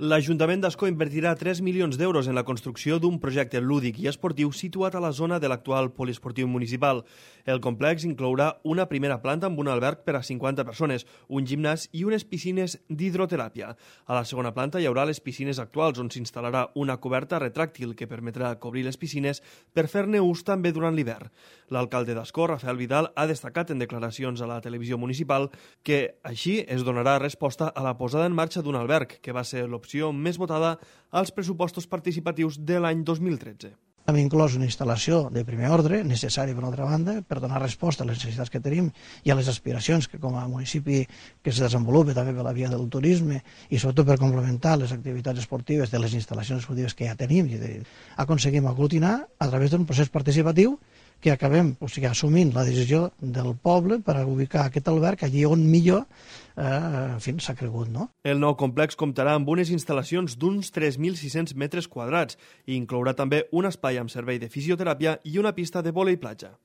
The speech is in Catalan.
L'Ajuntament d'Ascó invertirà 3 milions d'euros en la construcció d'un projecte lúdic i esportiu situat a la zona de l'actual poliesportiu municipal. El complex inclourà una primera planta amb un alberg per a 50 persones, un gimnàs i unes piscines d'hidroteràpia. A la segona planta hi haurà les piscines actuals, on s'instal·larà una coberta retràctil que permetrà cobrir les piscines per fer-ne ús també durant l'hivern. L'alcalde d'Ascó, Rafael Vidal, ha destacat en declaracions a la televisió municipal que així es donarà resposta a la posada en marxa d'un alberg, que va ser l'opció més votada als pressupostos participatius de l'any 2013. Hem inclòs una instal·lació de primer ordre, necessària per altra banda, per donar resposta a les necessitats que tenim i a les aspiracions que com a municipi que se desenvolupa també per la via del turisme i sobretot per complementar les activitats esportives de les instal·lacions esportives que ja tenim i aconseguim aglutinar a través d'un procés participatiu que acabem assumint la decisió del poble per ubicar aquest alberg allí on millor s'ha cregut. No? El nou complex comptarà amb unes instal·lacions d'uns 3.600 metres quadrats i inclourà també un espai amb servei de fisioteràpia i una pista de vòlei platja.